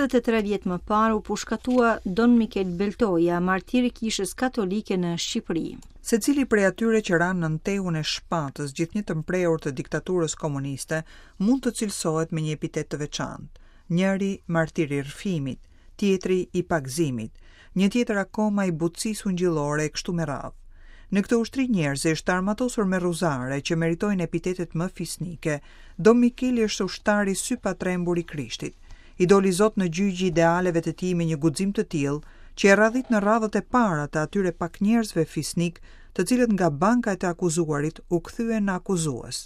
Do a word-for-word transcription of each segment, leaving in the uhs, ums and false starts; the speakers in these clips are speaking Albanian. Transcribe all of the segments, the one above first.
Tridhjetë e tre vjet më parë u pushkatua Don Mikel Beltoja, martir i Kishës Katolike në Shqipëri. Secili prej atyre që ranë nën tehun e shpatës gjithnjë të mprehur të diktaturës komuniste mund të cilësohet me një epitet të veçantë. Njëri martir i rrëfimit, tjetri i pagëzimit, një tjetër akoma i butësisë ungjillore e kështu me radhë. Në këtë ushtri njerëzish të armatosur me rruzare që meritojnë epitetet më fisnike, Dom Mikeli është ushtari sypatrembur i Krishtit. I doli Zot në gjyq idealeve të tij me një guxim të tillë që e radhit në radhët e para të atyre pak njerëzve fisnik, të cilët nga banka e të akuzuarit u kthyen në akuzues.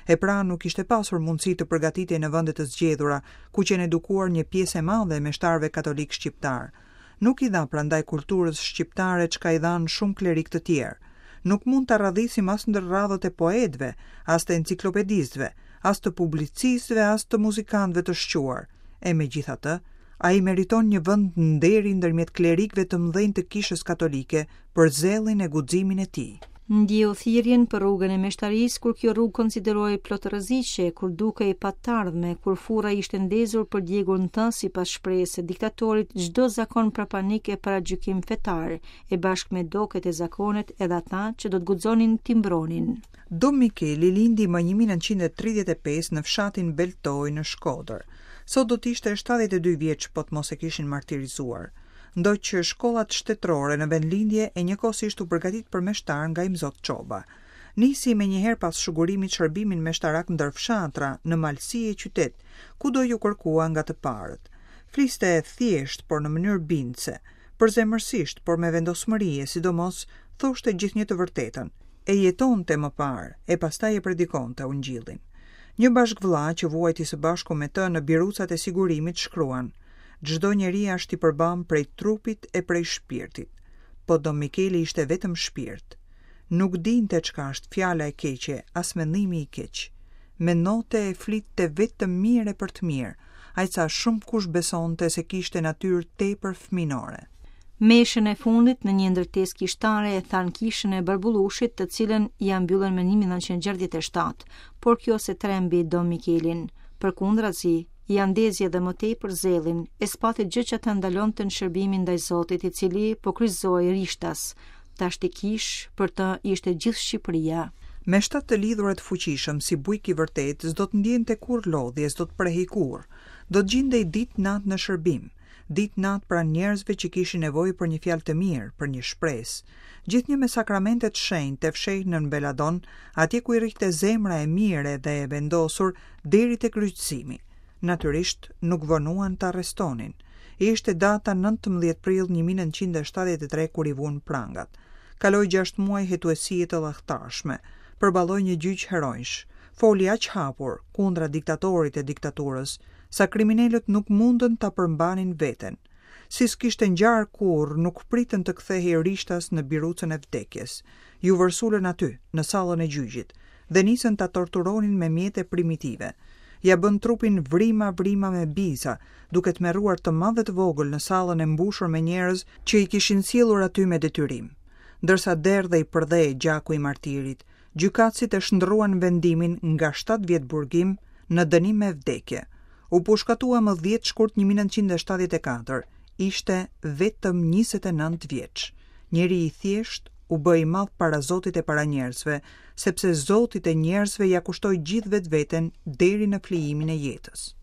E pra nuk kishte pasur mundësi të përgatitej në vende të zgjedhura, ku qenë edukuar një pjesë e madhe e meshtarëve katolik shqiptar. Nuk i dha prandaj kulturës shqiptare çka i dhanë shumë klerik të tjerë. Nuk mund ta radhisim as ndër radhët e poetëve, as të enciklopedistëve, as të publicistëve, as të muzikantëve të shquar. E megjithatë, ai meriton një vend nderi ndërmjet klerikëve të mëdhenj të Kishës Katolike për zellin e guximin e tij. Ndjeu thirrjen për rrugën e meshtarisë kur kjo rrugë konsiderohej plot rreziqe, kur dukej pa t'ardhme, kur furra ishte ndezur për djegur në të sipas shprehjes së diktatorit çdo zakon prapanik e paragjykim fetar, e bashkë me doket e zakonet edhe ata që do të guxonin t'i mbronin. Dom Mikeli lindi më një mijë e nëntëqind e tridhjetë e pesë në fshatin Beltoj në Shkodër. Sot do të ishte shtatëdhjetë e dy vjeç po të mos e kishin martirizuar. Ndoq shkollat shtetërore në vendlindje e njëkohësisht u përgatit për meshtar nga Imzot Çoba. Nisi menjëherë pas shugurimit shërbimin meshtarak ndër fshatra, në malësi e qytet, kudo ju kërkua nga të parët. Fliste thjesht, por në mënyrë bindëse, përzemërsisht, por me vendosmëri e sidomos thoshte gjithnjë të vërtetën. E jetonte më parë, e pastaj e predikonte ungjillin. Një bashkëvlla që vuajti së bashku me të në birucat e sigurimit shkruan: Çdo njeri është i përbam prej trupit e prej shpirtit, po Dom Mikeli ishte vetëm shpirt. Nuk dinte çka është fjala e keqe, as mendimi i keq. Mendonte e flitte vetëm mirë e për të mirë, aq sa shumë kush besonte se kishte natyrë tepër fëminore. Meshën e fundit në një ndërtesë kishtare e thanë kishën e Barbullushit, të cilën ia mbyllën më një mijë e nëntëqind e gjashtëdhjetë e shtatë, por kjo se trembi Dom Mikelin. Përkundrazi, ia ndezi edhe më tepër zellin, e s'pati gjë që ta ndalonte në shërbimin ndaj Zotit, i cili po kryqëzohej rishtas. Tashti kish për të ishte gjithë Shqipëria. Me shtatë të lidhura të fuqishëm, si bujk i vërtet, s'do të ndjente kurrë lodhje, s'do të prehej kurrë. Do të gjindej ditë natë në shërbim, ditë natë pranë njerëzve që kishin nevojë për një fjalë të mirë, për një shpresë. Gjithnjë me sakramentet shenjtë e fsheh nën Beladon, atje ku i rrihte zemra e mirë dhe e vendosur deri te kryqëzimi. Natyrisht nuk vonuan ta arrestonin. Ishte data nëntëmbëdhjetë prill një mijë e nëntëqind e shtatëdhjetë e tre kur i vunë prangat. Kaloi gjashtë muaj hetuesie të llahtarshme, përballoi një gjyq heronjsh, foli aq hapur kundra diktatorit e diktaturës, sa kriminelët nuk mundën ta përmbanin veten. Si s'kishte ngjarë kurrë, nuk pritën të kthehej rishtas në birucën e vdekjes. Ju vërsulën aty, në sallën e gjyqit, dhe nisën ta torturonin me mjete primitive. Ja bën trupin vrima vrima me biza, duke tmerruar të madh dhe të vogël në sallën e mbushur me njerëz që i kishin sjellur aty me detyrim. Ndërsa derdhej përdhe gjaku i martirit, gjykatësit e shndruan vendimin nga shtatë vjet burgim në dënim me vdekje. U pushkatua më dhjetë shkurt një mijë e nëntëqind e shtatëdhjetë e katër, ishte vetëm njëzet e nëntë vjeç. Njeri i thjesht u bë i madh para Zotit e para njerëzve, sepse Zotit e njerëzve ja kushtoi gjithë vetveten deri në flijimin e jetës.